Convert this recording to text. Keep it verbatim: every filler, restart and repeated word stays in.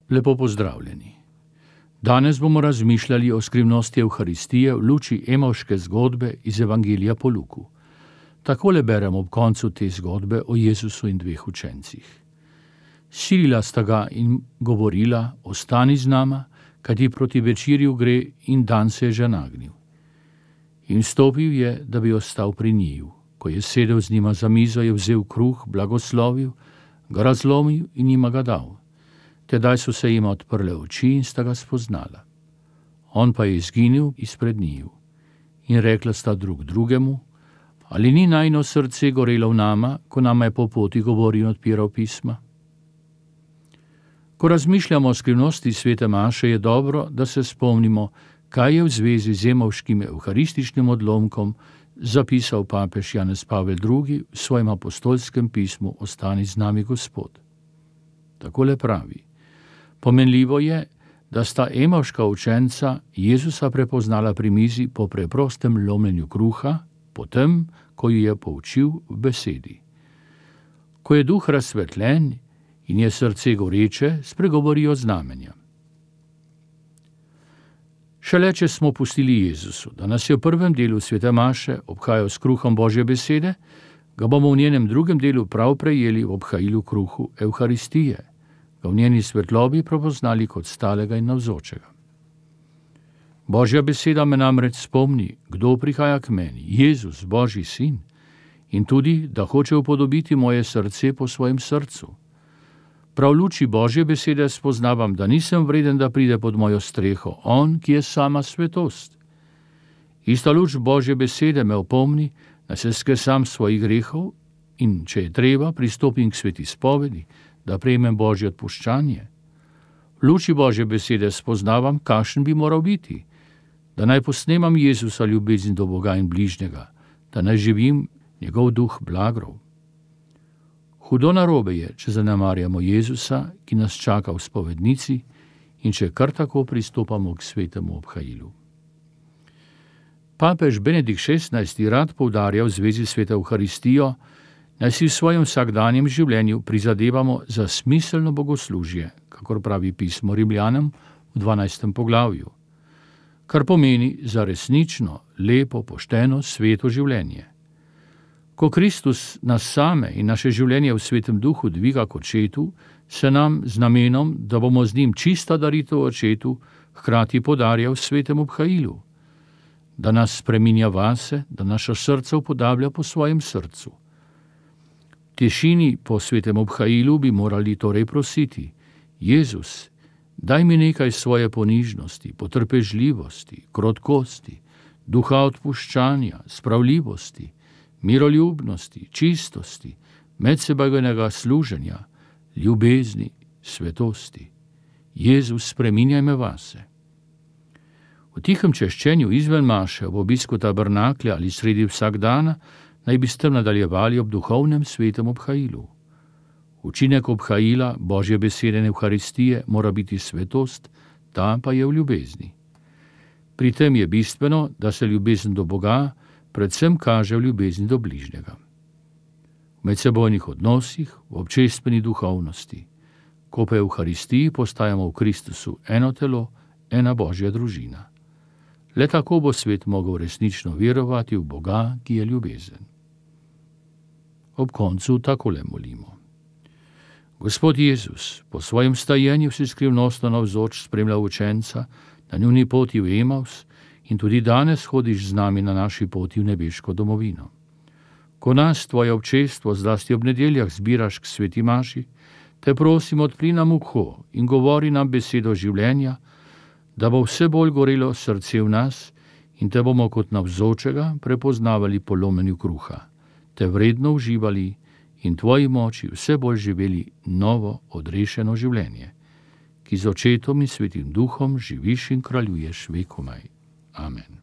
Lepo pozdravljeni. Danes bomo razmišljali o skrivnosti Evharistije v luči emavške zgodbe iz Evangelija po Luku. Takole beremo ob koncu te zgodbe o Jezusu in dveh učencih. Silila sta ga in govorila, ostani z nama, kajti proti večerju gre in dan se je že nagnil. In stopil je, da bi ostal pri njiju. Ko je sedel z njima za mizo, je vzel kruh, blagoslovil, ga razlomil in jima ga dal. Tedaj so se jima odprle oči in sta ga spoznala. On pa je izginil izpred njiju. In rekla sta drug drugemu, ali ni najino srce gorelo v nama, ko nama je po poti govoril in odpiral pisma? Ko razmišljamo o skrivnosti svete maše, je dobro, da se spomnimo, kaj je v zvezi z emavškim evharističnim odlomkom zapisal papež Janez Pavel drugi v svojem apostolskem pismu Ostani z nami, Gospod. Takole pravi: pomenljivo je, da sta emavška učenca Jezusa prepoznala pri mizi po preprostem lomljenju kruha, potem, ko ju je poučil v besedi. Ko je duh razsvetljen in je srce goreče, spregovorijo znamenja. Šele če smo pustili Jezusu, da nas je v prvem delu svete maše obhajal s kruhom Božje besede, ga bomo v njenem drugem delu prav prejeli v obhajilu kruhu Evharistije, ga v njeni svetlobi prepoznali kot stalega in navzočega. Božja beseda me namreč spomni, kdo prihaja k meni, Jezus, Božji sin, in tudi, da hoče upodobiti moje srce po svojem srcu. Prav v luči Božje besede spoznavam, da nisem vreden, da pride pod mojo streho, on, ki je sama svetost. Ista luč Božje besede me opomni, da se skesam svojih grehov in, če je treba, pristopim k sveti spovedi, da prejmem Božje odpuščanje. V luči Božje besede spoznavam, kakšen bi moral biti, da naj posnemam Jezusa ljubezen do Boga in bližnjega, da naj živim njegov duh blagrov. Hudo narobe je, če zanemarjamo Jezusa, ki nas čaka v spovednici, in če kar tako pristopamo k svetemu obhajilu. Papež Benedikt šestnajsti rad poudarja v zvezi s sveto Evharistijo, naj si v svojem vsakdanjem življenju prizadevamo za smiselno bogoslužje, kakor pravi pismo Rimljanom v dvanajstem poglavju, kar pomeni za resnično, lepo, pošteno, sveto življenje. Ko Kristus nas same in naše življenje v svetem duhu dviga k očetu, se nam z namenom, da bomo z njim čista daritev očetu, hkrati podarja v svetem obhajilu, da nas spreminja vase, da naša srca upodablja po svojem srcu. V tišini po svetem obhajilu bi morali torej prositi: Jezus, daj mi nekaj svoje ponižnosti, potrpežljivosti, krotkosti, duha odpuščanja, spravljivosti, miroljubnosti, čistosti, medsebojnega služenja, ljubezni, svetosti. Jezus, spreminjaj me vase. V tihem češčenju izven maše, ob obisku tabernaklja ali sredi vsakdana naj bi s tem nadaljevali ob duhovnem svetem obhajilu. Učinek obhajila Božje besede in Evharistije mora biti svetost, ta pa je v ljubezni. Pri tem je bistveno, da se ljubezen do Boga predvsem kaže v ljubezni do bližnjega. V medsebojnih odnosih, v občestveni duhovnosti. Ko pa v Evharistiji postajamo v Kristusu eno telo, ena Božja družina. Le tako bo svet mogel resnično verovati v Boga, ki je ljubezen. Ob koncu takole molimo. Gospod Jezus, po svojem stajenju si skrivnostno navzoč spremlja učenca na njuni poti v Emavs in tudi danes hodiš z nami na naši poti v nebeško domovino. Ko nas, tvoje občestvo, zlasti ob nedeljah zbiraš k sveti maši, te prosim, odpri nam uho in govori nam besedo življenja, da bo vse bolj gorelo srce v nas in te bomo kot navzočega prepoznavali po lomenju kruha, te vredno uživali in tvoji moči vse bolj živeli novo, odrešeno življenje, ki z očetom in svetim duhom živiš in kraljuješ vekomaj. Amen.